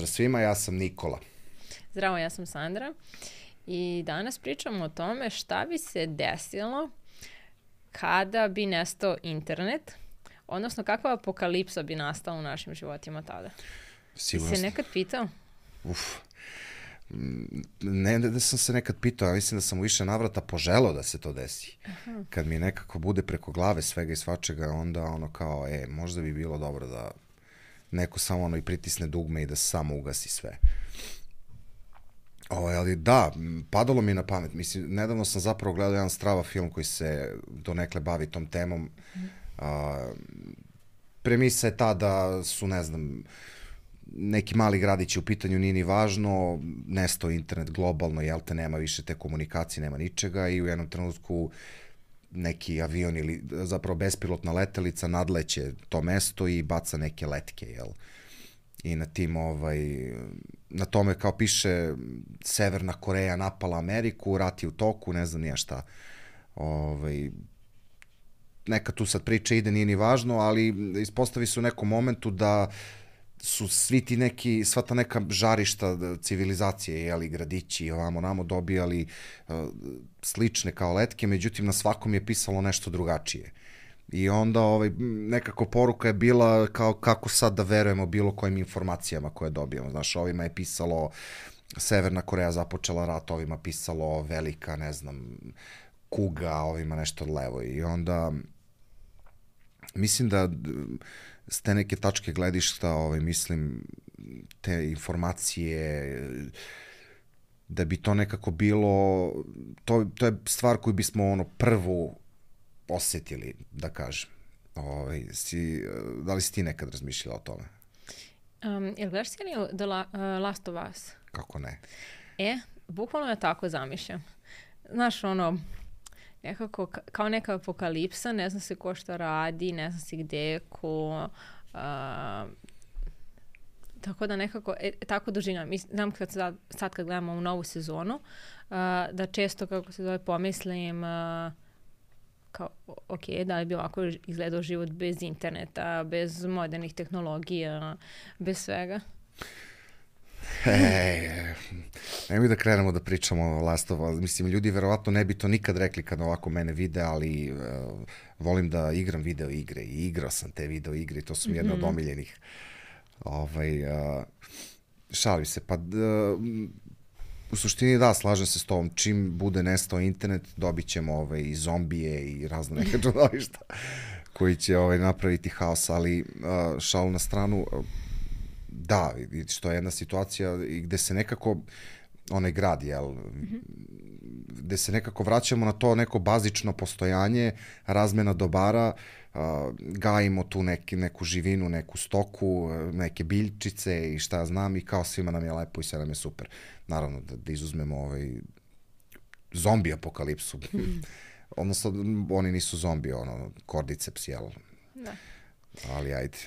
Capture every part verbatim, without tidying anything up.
Pozdrav svima, ja sam Nikola. Zdravo, ja sam Sandra i danas pričamo o tome šta bi se desilo kada bi nestao internet, odnosno kakva apokalipsa bi nastala u našim životima tada. Sigurno. I se nekad pitao? Uf. Ne da sam se nekad pitao, ja mislim da sam u više navrata poželao da se to desi. Aha. Kad mi nekako bude preko glave svega i svačega, onda ono kao, e, možda bi bilo dobro da neko samo ono i pritisne dugme i da samo ugasi sve. Ovo, ali da, padalo mi na pamet. Mislim, nedavno sam zapravo gledao jedan strava film koji se donekle bavi tom temom. Mm. A, premisa je ta da su, ne znam, neki mali gradići u pitanju, nije ni važno, nestao internet globalno, jel te, nema više te komunikacije, nema ničega i u jednom trenutku neki avion ili zapravo bespilotna letelica nadleće to mesto i baca neke letke, jel? I na tim, ovaj, na tome kao piše Severna Koreja napala Ameriku, rat je u toku, ne znam nije šta. Ovaj, neka tu sad priča ide, nije ni važno, ali ispostavi se u nekom momentu da su svi ti neki, sva ta neka žarišta civilizacije, jeli, gradići, ovamo namo dobijali uh, slične kao letke, međutim na svakom je pisalo nešto drugačije. I onda ovaj, nekako poruka je bila kao kako sad da verujemo bilo kojim informacijama koje dobijemo. Znaš, ovima je pisalo Severna Koreja započela rat, ovima pisalo velika, ne znam, kuga, ovima nešto levo. I onda mislim da s te neke tačke gledišta, ovaj, mislim, te informacije, da bi to nekako bilo, to, to je stvar koju bismo ono prvu osjetili, da kažem. Ovaj, si, da li si ti nekad razmišljala o tome? Um, jel gledaš seriju The La, uh, Last of Us? Kako ne? E, bukvalno ja tako zamišljam. Znaš, ono, nekako kao neka apokalipsa, ne zna se ko šta radi, ne zna se gde je ko, uh, tako da nekako, e, tako doživljam. Znam kad sad, sad kad gledamo u novu sezonu, uh, da često, kako se zove, pomislim, uh, kao, ok, da li bi ovako izgledao život bez interneta, bez modernih tehnologija, bez svega? E, nemoj da krenemo da pričamo o Last of Us. Mislim, ljudi verovatno ne bi to nikad rekli kad ovako mene vide, ali uh, volim da igram video igre i igrao sam te video igre i to su mi jedne mm-hmm. od omiljenih. Ovaj, uh, šalim se, pa uh, u suštini da, slažem se s tobom, čim bude nestao internet, dobit ćemo ovaj, i zombije i razne neke čudovišta koji će ovaj, napraviti haos, ali uh, šalu na stranu, uh, da, što je jedna situacija gde se nekako, onaj grad, jel, mm-hmm. gde se nekako vraćamo na to neko bazično postojanje, razmena dobara, uh, gajimo tu neki, neku živinu, neku stoku, neke biljčice i šta ja znam i kao svima nam je lepo i sve nam je super. Naravno, da, da izuzmemo ovaj zombi apokalipsu. Mm. Odnosno, oni nisu zombi, ono, kordiceps, jel? Da. Ali ajde.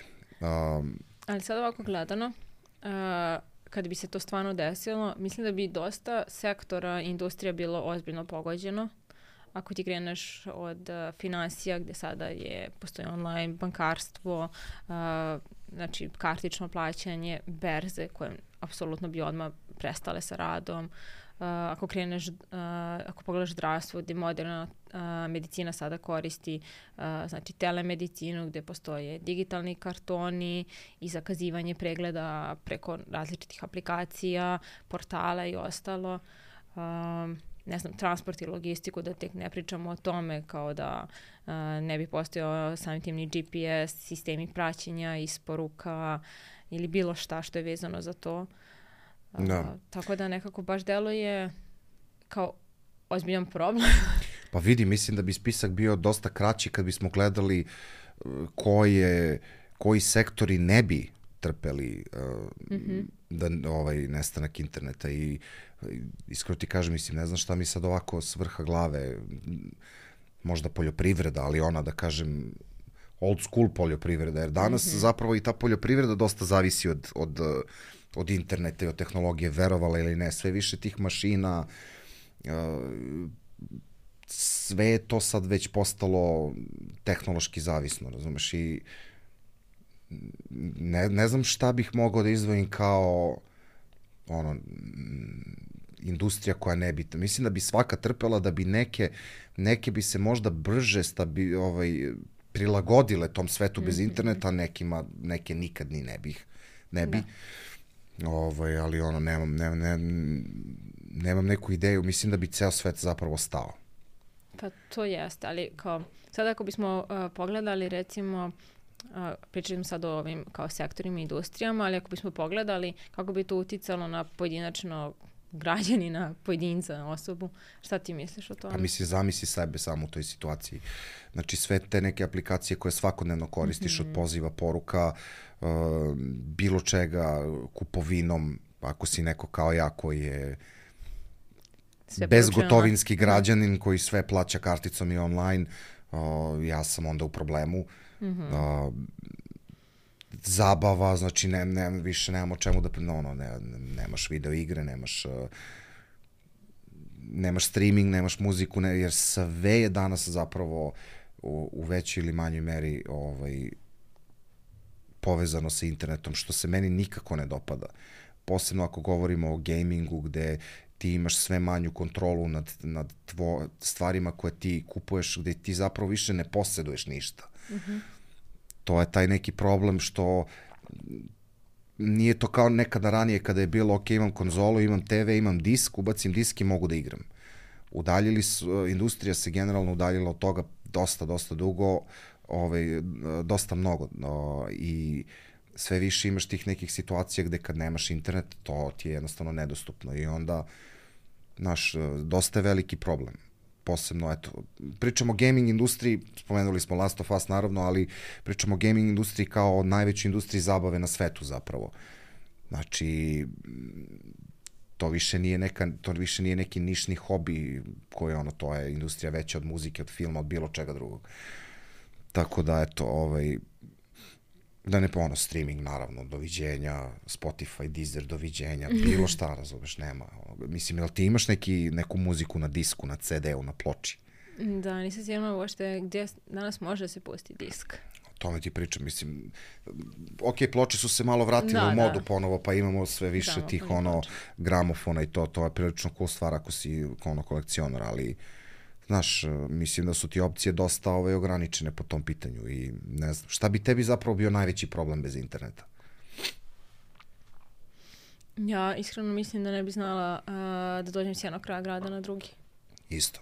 Um, Ali sad ovako gledano, uh, kad bi se to stvarno desilo, mislim da bi dosta sektora industrija bilo ozbiljno pogođeno. Ako ti kreneš od uh, finansija gde sada je, postoji online bankarstvo, uh, znači kartično plaćanje, berze koje apsolutno bi odmah prestale sa radom. Uh, ako kreneš, uh, ako pogledaš zdravstvo gde moderna uh, medicina sada koristi uh, znači telemedicinu gde postoje digitalni kartoni i zakazivanje pregleda preko različitih aplikacija, portala i ostalo. Um, ne znam, transport i logistiku, da tek ne pričamo o tome kao da uh, ne bi postojao samim tim ni G P S, sistemi praćenja, isporuka ili bilo šta što je vezano za to. Uh, da. Tako da nekako baš deluje kao ozbiljan problem. Pa vidi, mislim da bi spisak bio dosta kraći kad bismo gledali koje, koji sektori ne bi trpeli uh, mm-hmm. da, ovaj, nestanak interneta i iskreno ti kažem, mislim, ne znam šta mi sad ovako s vrha glave, možda poljoprivreda, ali ona, da kažem, old school poljoprivreda, jer danas mm-hmm. zapravo i ta poljoprivreda dosta zavisi od, od, od interneta i od tehnologije, verovala ili ne, sve više tih mašina, sve je to sad već postalo tehnološki zavisno, razumeš, i ne, ne znam šta bih mogao da izdvojim kao ono, industrija koja ne bi, mislim da bi svaka trpela, da bi neke, neke bi se možda brže stabi, ovaj, prilagodile tom svetu bez Mm-hmm. interneta, nekima, neke nikad ni ne bih, ne bi. Da. Ovaj, ali ono, nemam, nemam, nemam, nemam neku ideju, mislim da bi ceo svet zapravo stao. Pa to jeste, ali kao, sad ako bismo uh, pogledali recimo, uh, pričali smo sad o ovim kao sektorima i industrijama, ali ako bismo pogledali kako bi to uticalo na pojedinačno građanina, pojedinca, osobu, šta ti misliš o tome? Pa mislim, zamisli sebe samo u toj situaciji. Znači sve te neke aplikacije koje svakodnevno koristiš, mm-hmm. od poziva, poruka, uh, bilo čega, kupovinom, ako si neko kao ja koji je sve bezgotovinski građanin koji sve plaća karticom i online, uh, ja sam onda u problemu. Mm-hmm. Uh, zabava, znači ne, ne, više nemamo o čemu da, no, no, ne, nemaš video igre, nemaš uh, nemaš streaming, nemaš muziku, ne, jer sve je danas zapravo u, u većoj ili manjoj meri ovaj, povezano sa internetom, što se meni nikako ne dopada. Posebno ako govorimo o gamingu, gde ti imaš sve manju kontrolu nad, nad tvo, stvarima koje ti kupuješ, gde ti zapravo više ne posjeduješ ništa. Mm-hmm. To je taj neki problem što nije to kao nekada ranije kada je bilo, ok, imam konzolu, imam te ve, imam disk, ubacim disk i mogu da igram. Udaljili su, industrija se generalno udaljila od toga dosta, dosta dugo, ovaj, dosta mnogo. No, i sve više imaš tih nekih situacija gde kad nemaš internet, to ti je jednostavno nedostupno. I onda, znaš, dosta je veliki problem. Posebno, eto, pričamo o gaming industriji, spomenuli smo Last of Us naravno, ali pričamo o gaming industriji kao o najvećoj industriji zabave na svetu zapravo. Znači, to više nije neka, to više nije neki nišni hobi koji ono, to je industrija veća od muzike, od filma, od bilo čega drugog. Tako da, eto, ovaj, da ne ono, streaming naravno, doviđenja, Spotify, Deezer, doviđenja, bilo šta, razumeš, nema. Mislim, jel ti imaš neki, neku muziku na disku, na ce de u, na ploči? Da, nisam sigurno uopšte gdje danas može da se pusti disk. O tome ti pričam, mislim, ok, ploče su se malo vratile da, u modu da. ponovo, pa imamo sve više Gramofon tih ono ploče. Gramofona i to, to je prilično cool stvar ako si ono kolekcionar, ali znaš, mislim da su ti opcije dosta ovaj, ograničene po tom pitanju i ne znam, šta bi tebi zapravo bio najveći problem bez interneta? Ja iskreno mislim da ne bi znala uh, da dođem s jednog kraja grada na drugi. Isto.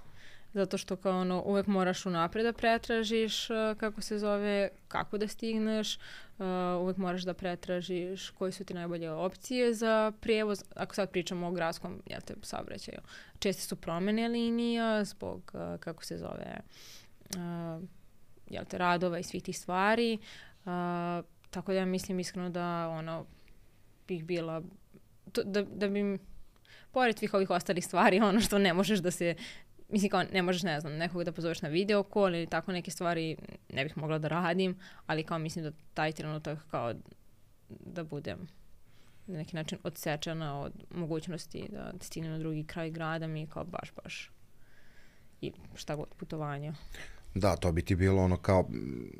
Zato što kao ono, uvek moraš unapred da pretražiš uh, kako se zove, kako da stigneš, uh, uvek moraš da pretražiš koji su ti najbolje opcije za prijevoz. Ako sad pričamo o gradskom, jel te, saobraćaju, česte su promene linija zbog, uh, kako se zove, uh, jel te, radova i svih tih stvari. Uh, tako da ja mislim iskreno da ono, bih bila, to, da, da bi, pored svih ovih ostalih stvari, ono što ne možeš da se, mislim kao ne možeš, ne znam, nekog da pozoveš na video call ili tako neke stvari ne bih mogla da radim, ali kao mislim da taj trenutak kao da budem na neki način odsečena od mogućnosti da stignem na drugi kraj grada mi je kao baš, baš i šta god putovanja. Da, to bi ti bilo ono kao,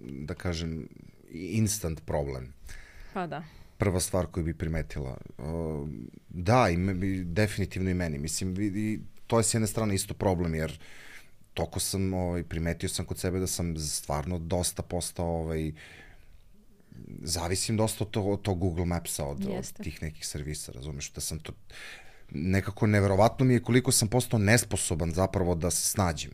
da kažem, instant problem. Pa da. Prva stvar koju bi primetila. Uh, da, i me, definitivno i meni. Mislim, i, to je s jedne strane isto problem, jer toko sam, ovaj, primetio sam kod sebe da sam stvarno dosta postao, ovaj, zavisim dosta od tog, od tog Google Mapsa, od, od tih nekih servisa, razumeš, da sam to, nekako neverovatno mi je koliko sam postao nesposoban zapravo da se snađem.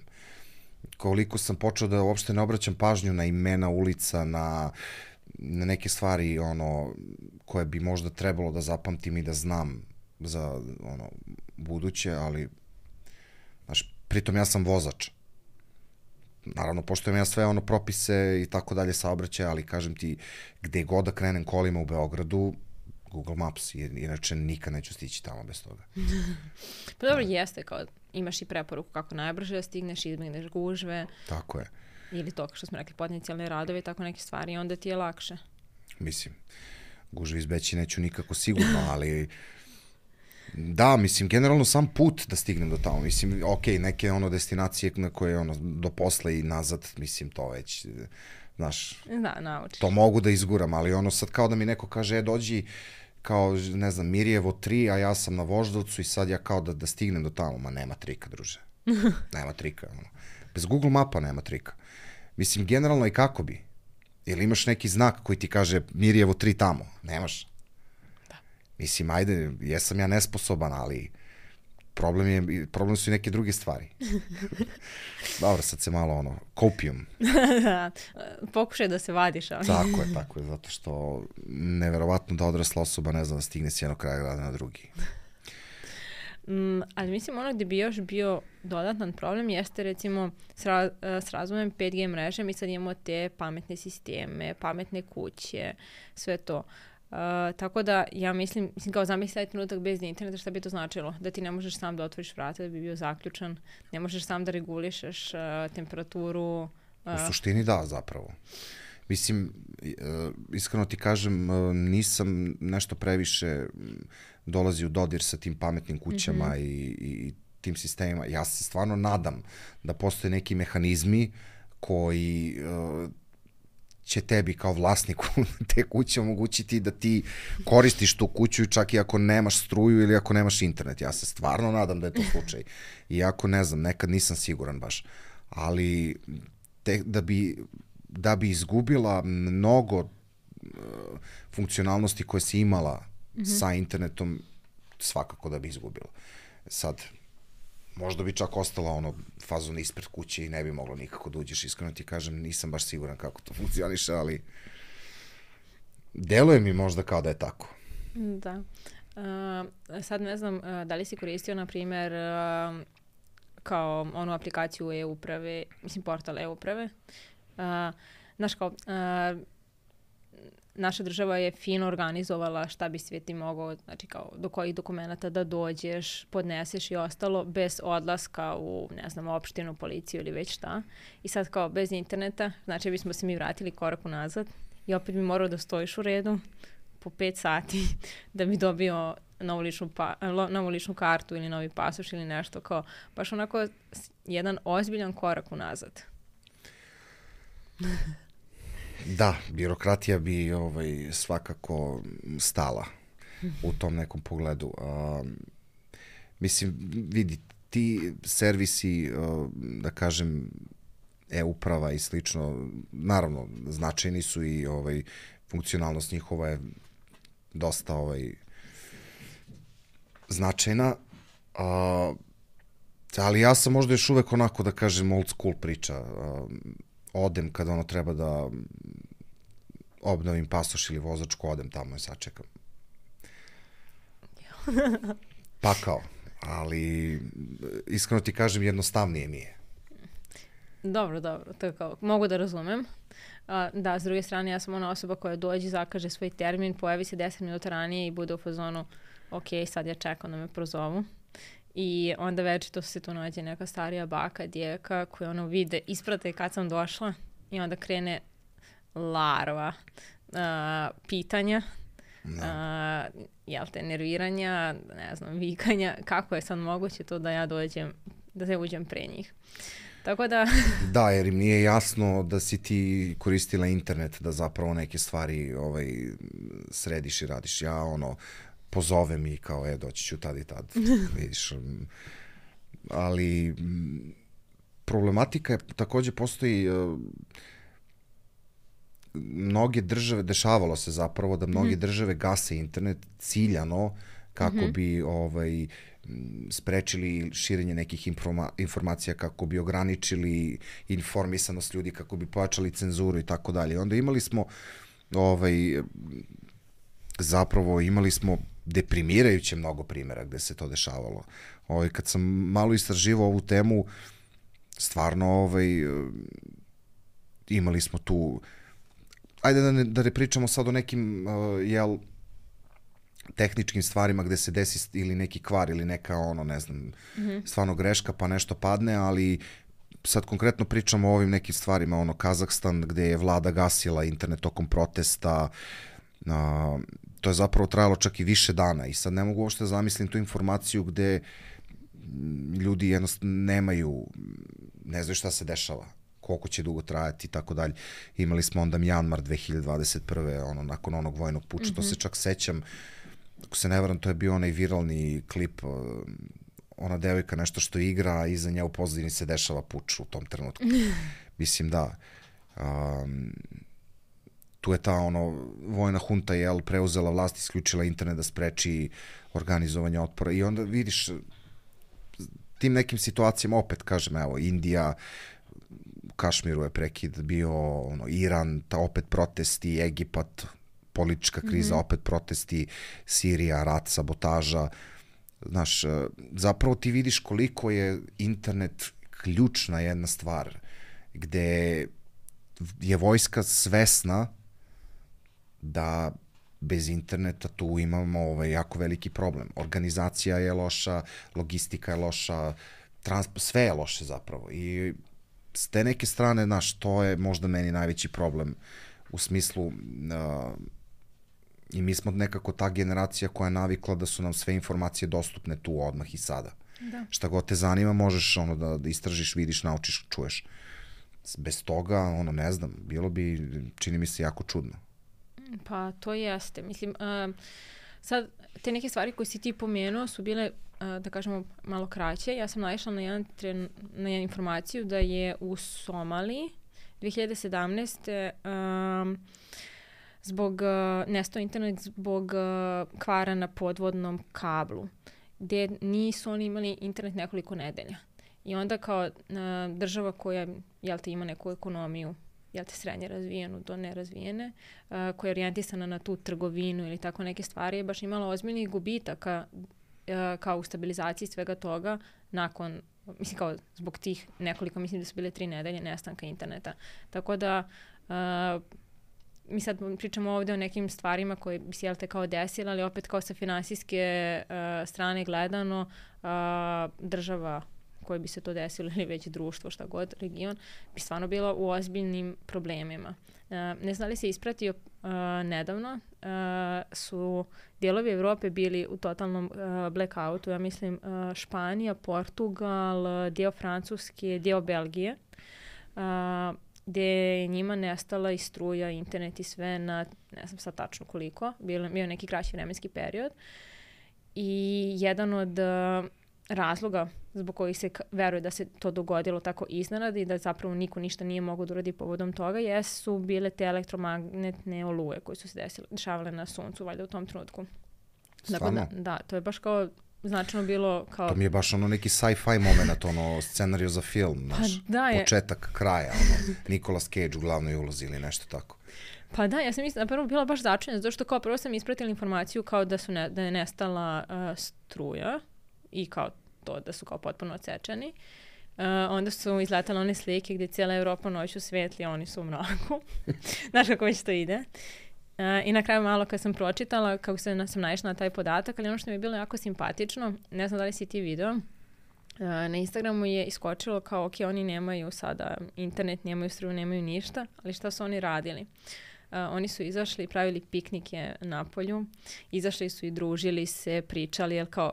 Koliko sam počeo da uopšte ne obraćam pažnju na imena ulica, na, na neke stvari ono, koje bi možda trebalo da zapamtim i da znam za ono, buduće, ali znaš, pritom ja sam vozač. Naravno, poštujem ja sve ono propise i tako dalje saobraćaja, ali kažem ti, gde god da krenem kolima u Beogradu, Google Maps, inače nikad neću stići tamo bez toga. Pa dobro, da. Jeste, kao imaš i preporuku kako najbrže da stigneš, izbjegneš gužve. Tako je. Ili to, što smo rekli, potencijalne radove i tako neke stvari, onda ti je lakše. Mislim, gužve izbeći neću nikako sigurno, ali da, mislim, generalno sam put da stignem do tamo, mislim, ok, neke ono destinacije na koje ono, do posle i nazad, mislim, to već Znaš, Da, naučiš. to mogu da izguram, ali ono sad kao da mi neko kaže, e, dođi, kao, ne znam, Mirjevo tri, a ja sam na Voždovcu i sad ja kao da, da stignem do tamo. Ma nema trika, druže. Nema trika. Ono. Bez Google mapa nema trika. Mislim, generalno i kako bi? Ili imaš neki znak koji ti kaže Mirjevo tri tamo? Nemaš. Da. Mislim, ajde, jesam ja nesposoban, ali problem, je, problem su i neke druge stvari. Dobro, sad se malo ono, kopijum. Da, pokušaj da se vadiš, ali... Tako je, tako je, zato što neverovatno da odrasla osoba ne zna da stigne s jednog kraja grada na drugi. Mm, ali mislim ono gde bi još bio dodatan problem jeste recimo s, ra s razvojem pet G mreže mi sad imamo te pametne sisteme, pametne kuće, sve to. Uh, tako da ja mislim, mislim kao zamisli taj trenutak bez interneta, šta bi to značilo? Da ti ne možeš sam da otvoriš vrata, da bi bio zaključan, ne možeš sam da regulišeš uh, temperaturu. Uh. U suštini da, zapravo. Mislim, uh, iskreno ti kažem, uh, nisam nešto previše dolazi u dodir sa tim pametnim kućama mm-hmm. i, i tim sistemima. Ja se stvarno nadam da postoje neki mehanizmi koji uh, će tebi kao vlasniku te kuće omogućiti da ti koristiš tu kuću čak i ako nemaš struju ili ako nemaš internet. Ja se stvarno nadam da je to slučaj. Iako ne znam, nekad nisam siguran baš. Ali te, da, bi, da bi izgubila mnogo uh, funkcionalnosti koje si imala mm-hmm. sa internetom, svakako da bi izgubila. Sad, možda bi čak ostala ono fazon ispred kuće i ne bi moglo nikako da uđeš. Iskreno ti kažem, nisam baš siguran kako to funkcioniše, ali deluje mi možda kao da je tako. Da. Uh, sad ne znam, uh, da li si koristio, na primjer, uh, kao onu aplikaciju e-uprave, mislim portal e-uprave. Uh, znaš kao, uh, naša država je fino organizovala šta bi sve ti mogao, znači kao do kojih dokumenta da dođeš, podneseš i ostalo, bez odlaska u, ne znam, opštinu, policiju ili već šta. I sad kao bez interneta, znači bismo se mi vratili korak unazad i opet bi morao da stojiš u redu po pet sati da bi dobio novu ličnu, pa, novu ličnu kartu ili novi pasoš ili nešto, kao baš onako jedan ozbiljan korak unazad. Da, birokratija bi ovaj, svakako stala u tom nekom pogledu. Uh, mislim, vidi, ti servisi, uh, da kažem, e-uprava i slično, naravno, značajni su i ovaj, funkcionalnost njihova je dosta ovaj, značajna, uh, ali ja sam možda još uvek onako, da kažem, old school priča. Uh, odem kada ono treba da obnovim pasoš ili vozačku, odem tamo i sačekam. Pakao, ali iskreno ti kažem, jednostavnije mi je. Dobro, dobro, to je kao, mogu da razumem. A, da, s druge strane, ja sam ona osoba koja dođe, zakaže svoj termin, pojavi se deset minuta ranije i bude u fazonu, ok, sad ja čekam da me prozovu. I onda večito se tu nađe neka starija baka, djevka, koja ono vide, isprate kad sam došla i onda krene larva uh, pitanja, no. uh, jel te, nerviranja, ne znam, vikanja, kako je sad moguće to da ja dođem, da se uđem pre njih. Tako da... Da, jer im nije jasno da si ti koristila internet da zapravo neke stvari ovaj, središ i radiš. Ja ono... pozovem i kao, e, doći ću tad i tad, vidiš. Ali problematika je, takođe postoji, uh, mnoge države, dešavalo se zapravo da mnoge mm-hmm. države gase internet ciljano kako mm-hmm. bi ovaj, sprečili širenje nekih informa informacija, kako bi ograničili informisanost ljudi, kako bi pojačali cenzuru i tako dalje. Onda imali smo ovaj, zapravo imali smo deprimirajuće mnogo primjera gde se to dešavalo. Ovaj, kad sam malo istraživao ovu temu, stvarno ovaj, imali smo tu, ajde da ne, da ne pričamo sad o nekim uh, jel, tehničkim stvarima gde se desi ili neki kvar ili neka ono, ne znam, mm-hmm. stvarno greška pa nešto padne, ali sad konkretno pričamo o ovim nekim stvarima, ono Kazahstan gde je vlada gasila internet tokom protesta, uh, to je zapravo trajalo čak i više dana i sad ne mogu uopšte zamislim tu informaciju gde ljudi jednostavno nemaju, ne znaju šta se dešava, koliko će dugo trajati i tako dalje. Imali smo onda Mjanmar dve hiljade dvadeset prve ono, nakon onog vojnog puča, mm-hmm. to se čak sećam, ako se ne varam, to je bio onaj viralni klip, ona devojka nešto što igra, a iza nje u pozadini se dešava puč u tom trenutku. Mislim, da. Um, tu je ta ono, vojna hunta je preuzela vlast, isključila internet da spreči organizovanje otpora i onda vidiš tim nekim situacijama, opet kažem, evo, Indija, u Kašmiru je prekid bio, ono, Iran, ta opet protesti, Egipat, politička kriza, mm-hmm. opet protesti, Sirija, rat, sabotaža. Znaš, zapravo ti vidiš koliko je internet ključna jedna stvar, gde je vojska svesna da bez interneta tu imamo ovaj, jako veliki problem. Organizacija je loša, logistika je loša, transport, sve je loše zapravo. I s te neke strane, znaš, to je možda meni najveći problem u smislu uh, i mi smo nekako ta generacija koja je navikla da su nam sve informacije dostupne tu odmah i sada. Da. Šta god te zanima, možeš ono da, da istražiš, vidiš, naučiš, čuješ. Bez toga, ono, ne znam, bilo bi, čini mi se, jako čudno. Pa, to jeste. Mislim, uh, sad, te neke stvari koje si ti pomenuo su bile, uh, da kažemo, malo kraće. Ja sam naišla na, jedan tren, na jednu informaciju da je u Somaliji dve hiljade sedamnaeste. Um, zbog, uh, nestao internet zbog uh, kvara na podvodnom kablu, gde nisu oni imali internet nekoliko nedelja. I onda kao uh, država koja, jel te, ima neku ekonomiju, jel te, srednje razvijenu do nerazvijene, uh, koja je orijentisana na tu trgovinu ili tako neke stvari, je baš imala ozbiljnih gubitaka uh, kao u stabilizaciji svega toga nakon, mislim, kao zbog tih nekoliko, mislim da su bile tri nedelje nestanka interneta. Tako da uh, mi sad pričamo ovde o nekim stvarima koje bi se, jel te, kao desile, ali opet kao sa finansijske uh, strane gledano, uh, država koje bi se to desilo ili već društvo, šta god, region, bi stvarno bila u ozbiljnim problemima. Uh, ne znam li se ispratio uh, nedavno, uh, su dijelovi Evrope bili u totalnom uh, blackoutu, ja mislim uh, Španija, Portugal, dio Francuske, dio Belgije, uh, gde je njima nestala i struja, internet i sve na, ne znam sad tačno koliko, bio, bio neki kraći vremenski period. I jedan od uh, razloga zbog kojih se veruje da se to dogodilo tako iznenada i da zapravo niko ništa nije mogao da uradi povodom toga, jesu bile te elektromagnetne oluje koje su se desile, dešavale na suncu, valjda u tom trenutku. Dakle, da, da, to je baš kao značajno bilo kao... To mi je baš ono neki sci-fi moment, ono scenariju za film, naš, pa da je... početak kraja, ono, Nicolas Cage u glavnoj ulozi ili nešto tako. Pa da, ja sam mislim, napravo bila baš začuđena, zato što kao prvo sam ispratila informaciju kao da, su ne, da je nestala uh, struja i kao to da su kao potpuno odsečeni. Uh, onda su izletale one slike gdje cijela Evropa noću svetli, a oni su u mraku. Znaš kako već to ide. Uh, I na kraju malo kad sam pročitala, kako sam, sam naišla na taj podatak, ali ono što mi je bilo jako simpatično, ne znam da li si ti video, uh, na Instagramu je iskočilo kao, ok, oni nemaju sada internet, nemaju struju, nemaju ništa, ali šta su oni radili? Uh, oni su izašli i pravili piknike na polju, izašli su i družili se, pričali, jer kao,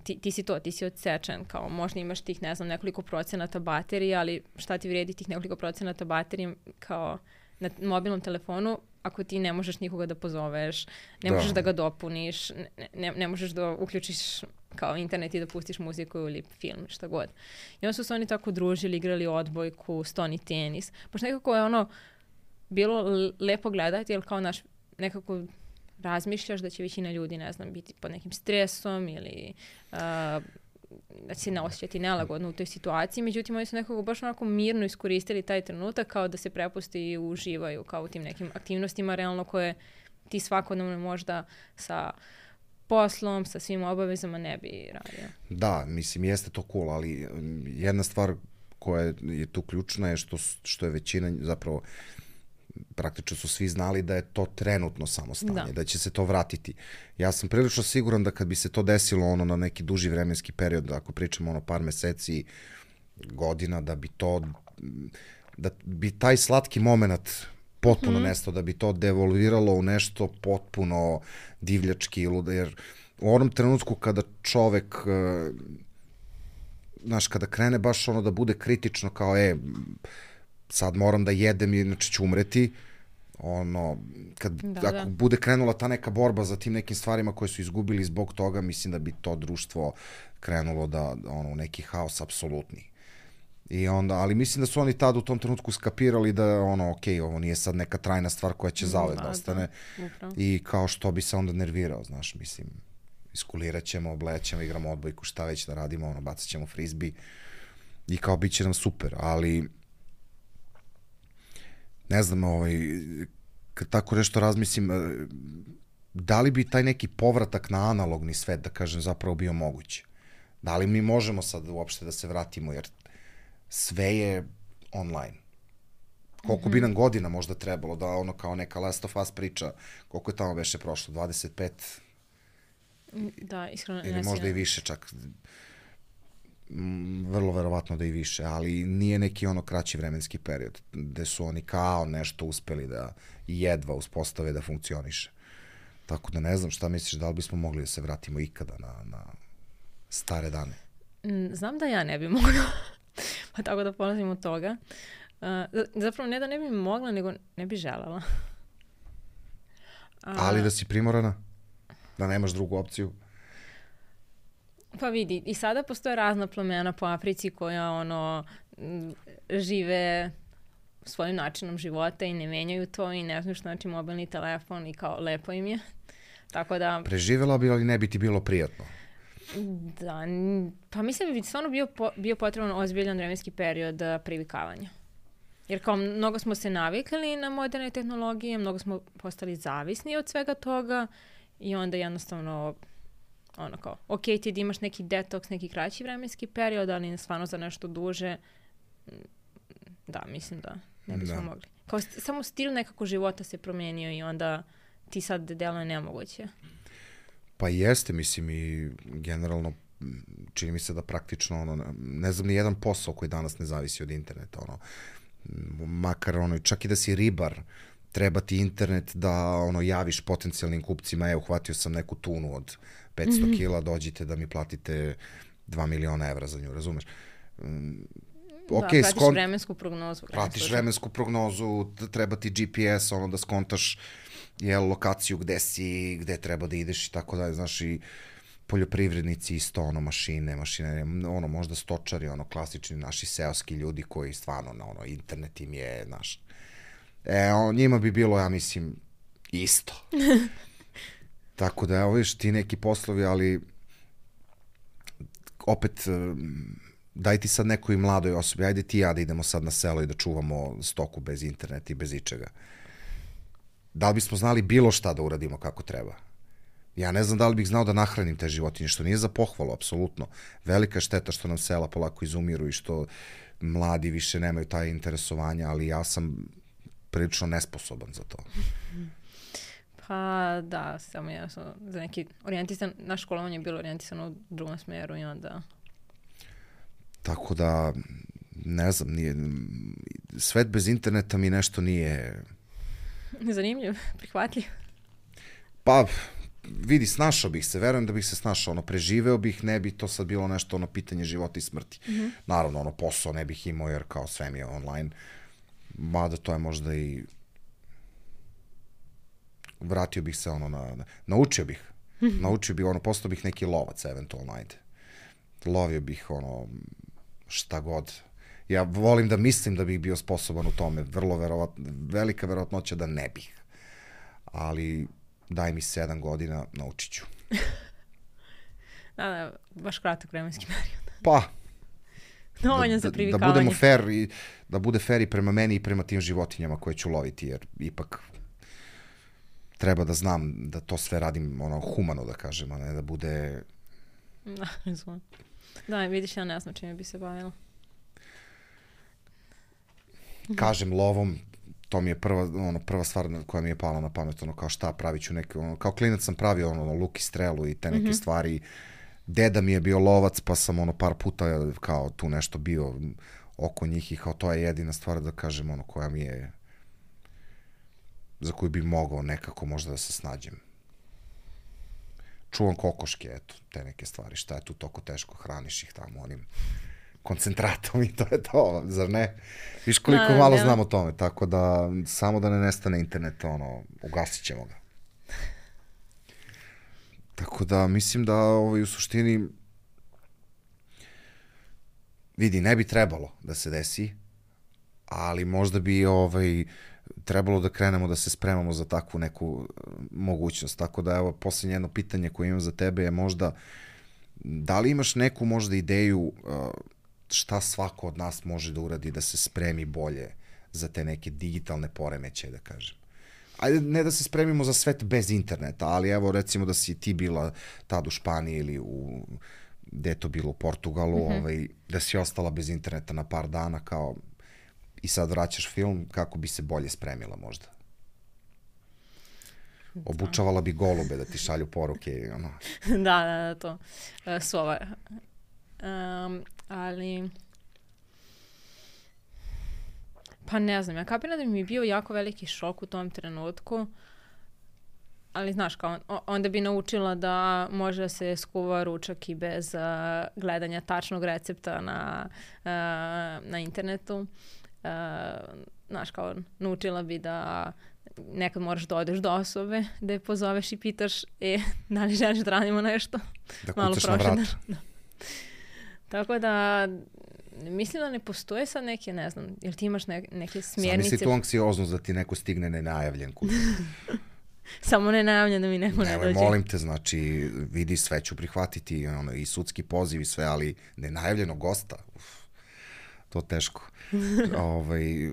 Ti, ti si to, ti si odsečen, kao možda imaš tih, ne znam, nekoliko procenata baterije, ali šta ti vrijedi tih nekoliko procenata baterije kao na mobilnom telefonu ako ti ne možeš nikoga da pozoveš, ne da. možeš da ga dopuniš, ne, ne, ne možeš da uključiš kao internet i da pustiš muziku ili film, šta god. I onda su se oni tako družili, igrali odbojku, stoni tenis. Baš nekako je ono bilo lepo gledati, jer kao naš nekako razmišljaš da će većina ljudi, ne znam, biti pod nekim stresom ili uh, da će se ne osjećati nelagodno u toj situaciji. Međutim, oni su nekako baš onako mirno iskoristili taj trenutak kao da se prepusti i uživaju kao u tim nekim aktivnostima realno koje ti svakodnevno možda sa poslom, sa svim obavezama ne bi radio. Da, mislim, jeste to cool, ali jedna stvar koja je tu ključna je što, što je većina zapravo praktično su svi znali da je to trenutno samo stanje, da. da će se to vratiti. Ja sam prilično siguran da kad bi se to desilo ono na neki duži vremenski period, ako pričamo ono par meseci, godina, da bi to, da bi taj slatki moment potpuno mm-hmm. nestao, da bi to devolviralo u nešto potpuno divljački, jer u onom trenutku kada čovek, znaš, kada krene baš ono da bude kritično kao, e, sad moram da jedem, inače ću umreti. Ono, kad, Da, ako da. bude krenula ta neka borba za tim nekim stvarima koje su izgubili zbog toga, mislim da bi to društvo krenulo da, ono, u neki haos apsolutni. I onda, ali mislim da su oni tad u tom trenutku skapirali da, ono, ok, ovo nije sad neka trajna stvar koja će zauvek da Da, ostane. da, upravo. I kao što bi se onda nervirao, znaš, mislim, iskulirat ćemo, oblećemo, igramo odbojku, šta već da radimo, ono, bacat ćemo frizbi i kao bit će nam super, ali ne znam, ovaj, kad tako nešto razmislim, eh, da li bi taj neki povratak na analogni svet, da kažem, zapravo bio moguć? Da li mi možemo sad uopšte da se vratimo, jer sve je online. Koliko bi nam godina možda trebalo da ono kao neka Last of Us priča, koliko je tamo beše prošlo, dvadeset pet Da, iskreno ili ne možda i sjećam. više čak. Mm, vrlo verovatno da i više, ali nije neki ono kraći vremenski period gde su oni kao nešto uspeli da jedva uspostave da funkcioniše. Tako da ne znam šta misliš, da li bismo mogli da se vratimo ikada na, na stare dane. Mm, Znam da ja ne bi mogla, pa tako da polazim od toga. Uh, z- zapravo ne da ne bi mogla, nego ne bi želela. A, Ali da si primorana, da nemaš drugu opciju. Pa vidi, i sada postoje razna plemena po Africi koja ono m, žive svojim načinom života i ne menjaju to i ne znaju što znači mobilni telefon i kao lepo im je. Tako da, Preživela bi, ali ne bi ti bilo prijatno. da, n- pa mislim da bi stvarno bio, po, bio potreban ozbiljan vremenski period a, privikavanja. Jer kao mnogo smo se navikli na moderne tehnologije, mnogo smo postali zavisni od svega toga i onda jednostavno ono kao, ok, ti da imaš neki detoks, neki kraći vremenski period, ali stvarno za nešto duže, m, da, mislim da ne bismo Da. mogli. Kao st- samo stil nekako života se promijenio i onda ti sad deluje nemoguće. Pa jeste, mislim, i generalno m, čini mi se da praktično ono, ne znam ni jedan posao koji danas ne zavisi od interneta, ono, m, makar ono, čak i da si ribar, treba ti internet da ono javiš potencijalnim kupcima, evo, uhvatio sam neku tunu od petsto kila, dođite da mi platite dva miliona evra za nju, razumeš? Mm, da, ok, pratiš skon... vremensku prognozu. pratiš vremensku prognozu, t- treba ti G P S, ono da skontaš jel, lokaciju gde si, gde treba da ideš i tako dalje, znaš, i poljoprivrednici isto, ono, mašine, mašine, ono, možda stočari, ono, klasični naši seoski ljudi koji stvarno, na, ono, internet im je, znaš, e, on, njima bi bilo, ja mislim, isto. Tako da, evo, viš, ti neki poslovi, ali opet, um, daj ti sad nekoj mladoj osobi, ajde ti i ja da idemo sad na selo i da čuvamo stoku bez interneta i bez ičega. Da li bismo znali bilo šta da uradimo kako treba? Ja ne znam da li bih znao da nahranim te životinje, što nije za pohvalu, apsolutno. Velika je šteta što nam sela polako izumiru i što mladi više nemaju taj interesovanja, ali ja sam prilično nesposoban za to. Pa da, samo ja sam za neki orijentisan, naš školovanje je bilo orijentisano u drugom smeru i onda... Tako da, ne znam, nije, svet bez interneta mi nešto nije... Zanimljiv, prihvatljiv. Pa, vidi, snašao bih se, verujem da bih se snašao, ono, preživeo bih, ne bi to sad bilo nešto, ono, pitanje života i smrti. Mm-hmm. Naravno, ono, posao ne bih imao, jer kao sve mi je online, mada to je možda i... Vratio bih se, ono, na... na naučio bih, mm-hmm. naučio bih, ono, postao bih neki lovac, eventualno, ajde. Lovio bih, ono, šta god. Ja volim da mislim da bih bio sposoban u tome, vrlo verovatno, velika verovatnoća da ne bih. Ali daj mi sedam godina, naučit ću. Da, da, baš kratak vremenski period. Pa, Dovoljno da, za da, da privikavanje. budemo fair i da bude fair i prema meni i prema tim životinjama koje ću loviti, jer ipak treba da znam da to sve radim ono humano, da kažem, a ne da bude... Da, razumem. Da, vidiš, ja ne znam čime bi se bavila. Kažem, lovom, to mi je prva, ono, prva stvar koja mi je pala na pamet, ono, kao šta, pravit ću neke, ono, kao klinac sam pravio, ono, luk i strelu i te neke mm-hmm. stvari. Deda mi je bio lovac, pa sam, ono, par puta, kao, tu nešto bio oko njih i kao, to je jedina stvar, da kažem, ono, koja mi je, za koju bi mogao nekako možda da se snađem. Čuvam kokoške, eto, te neke stvari, šta je tu toko teško, hraniš ih tamo, onim koncentratom i to je to, zar ne? Viš koliko Da, malo da. znam o tome, tako da samo da ne nestane internet, ono, ugasit ćemo ga. Tako da mislim da ovaj, u suštini vidi, ne bi trebalo da se desi, ali možda bi ovaj, trebalo da krenemo da se spremamo za takvu neku mogućnost. Tako da evo, posljednje jedno pitanje koje imam za tebe je možda da li imaš neku možda ideju šta svako od nas može da uradi da se spremi bolje za te neke digitalne poremećaje, da kažem. Ajde, ne da se spremimo za svet bez interneta, ali evo recimo da si ti bila tad u Španiji ili u, gde je to bilo, u Portugalu, mm-hmm. ovaj, da si ostala bez interneta na par dana kao i sad vraćaš film, kako bi se bolje spremila možda? Obučavala bi golube da ti šalju poruke i ono. da, da, da, to. Uh, sova. Um, ali... Pa ne znam, ja kapiram da mi je bio jako veliki šok u tom trenutku, ali znaš, kao, onda bi naučila da može da se skuva ručak i bez uh, gledanja tačnog recepta na, uh, na internetu. Uh, znaš, kao, naučila bi da nekad moraš da odeš do osobe, da je pozoveš i pitaš, e, da li želiš da radimo nešto? Da kucaš na vrata. Da. Tako da, mislim da ne postoje sad neke, ne znam, jer ti imaš ne, neke smjernice. Sam misli tu anksioznost da ti neko stigne nenajavljen kuću. Samo nenajavljen da mi neko ne dođe. Molim te, znači, vidi, sve ću prihvatiti, ono, i sudski poziv i sve, ali nenajavljeno gosta, uf, to teško. ovaj,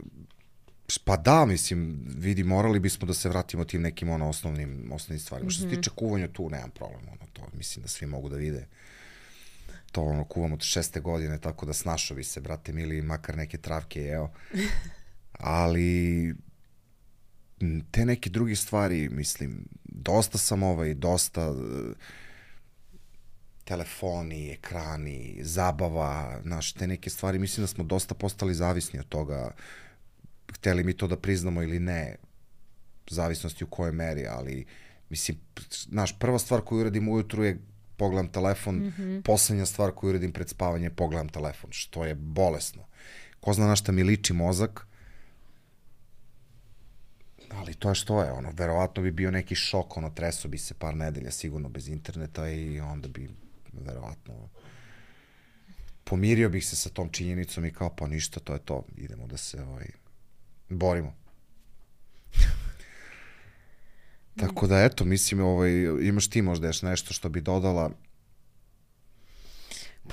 pa da, mislim, vidi, morali bismo da se vratimo tim nekim ono, osnovnim, osnovnim stvarima. Mm-hmm. Što se tiče kuvanja, tu nemam problem, ono, to mislim da svi mogu da vide. To ono, kuvam od šeste godine, tako da snašovi se, brate mili, makar neke travke, evo. Ali te neke druge stvari, mislim, dosta sam ovaj, dosta telefoni, ekrani, zabava, znaš, te neke stvari, mislim da smo dosta postali zavisni od toga, hteli mi to da priznamo ili ne, zavisnosti u kojoj meri, ali, mislim, znaš, prva stvar koju uradim ujutru je pogledam telefon, mm-hmm. poslednja stvar koju uradim pred spavanje, pogledam telefon, što je bolesno. Ko zna na šta mi liči mozak, ali to je što je, ono, verovatno bi bio neki šok, ono, treso bi se par nedelja sigurno bez interneta i onda bi, verovatno, pomirio bih se sa tom činjenicom i kao, pa ništa, to je to, idemo da se, ovaj, borimo. Tako da, eto, mislim, ovaj, imaš ti možda još nešto što bi dodala?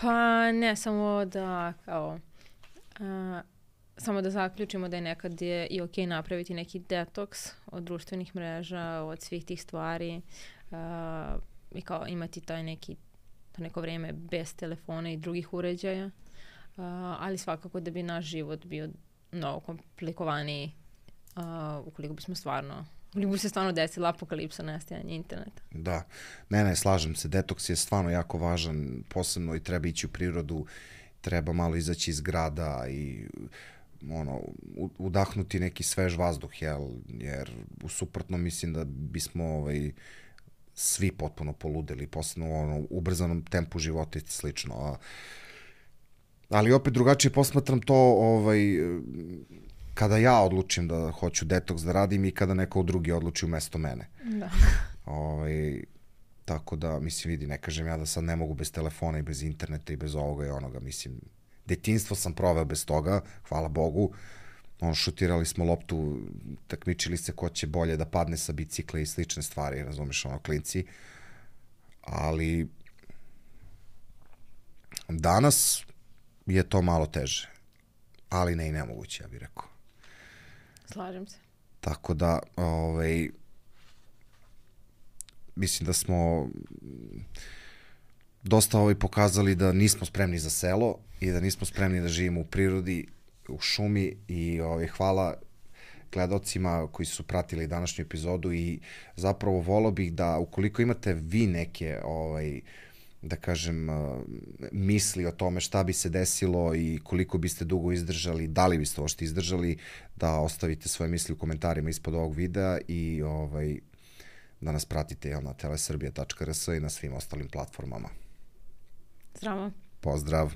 Pa ne, samo da, kao, a, samo da zaključimo da je nekad je i okej napraviti neki detoks od društvenih mreža, od svih tih stvari a, i kao imati taj neki, to neko vreme bez telefona i drugih uređaja, a, ali svakako da bi naš život bio mnogo komplikovaniji a, ukoliko bismo stvarno Ili bi se stvarno desila apokalipsa, nestajanje interneta. Da, ne, ne, slažem se. Detoks je stvarno jako važan, posebno i treba ići u prirodu, treba malo izaći iz grada i ono, udahnuti neki svež vazduh, jel? Jer u suprotnom mislim da bismo ovaj, svi potpuno poludeli, posebno u ono, ubrzanom tempu života i slično. A, ali opet drugačije posmatram to ovaj, kada ja odlučim da hoću detoks da radim i kada neko drugi odluči umesto mene. Da. Ovaj, tako da, mislim, vidi, ne kažem ja da sad ne mogu bez telefona i bez interneta i bez ovoga i onoga, mislim, detinjstvo sam proveo bez toga, hvala Bogu, ono, šutirali smo loptu, takmičili se ko će bolje da padne sa bicikla i slične stvari, razumeš, ono, klinci, ali danas je to malo teže, ali ne i nemoguće, ja bih rekao. Slažem se. Tako da, ovaj, mislim da smo dosta ovaj pokazali da nismo spremni za selo i da nismo spremni da živimo u prirodi, u šumi i ovaj, hvala gledalcima koji su pratili današnju epizodu i zapravo volao bih da ukoliko imate vi neke ovaj, da kažem, misli o tome šta bi se desilo i koliko biste dugo izdržali, da li biste ošte izdržali, da ostavite svoje misli u komentarima ispod ovog videa i ovaj, da nas pratite na telesrbija tačka rs i na svim ostalim platformama. Zdravo. Pozdrav!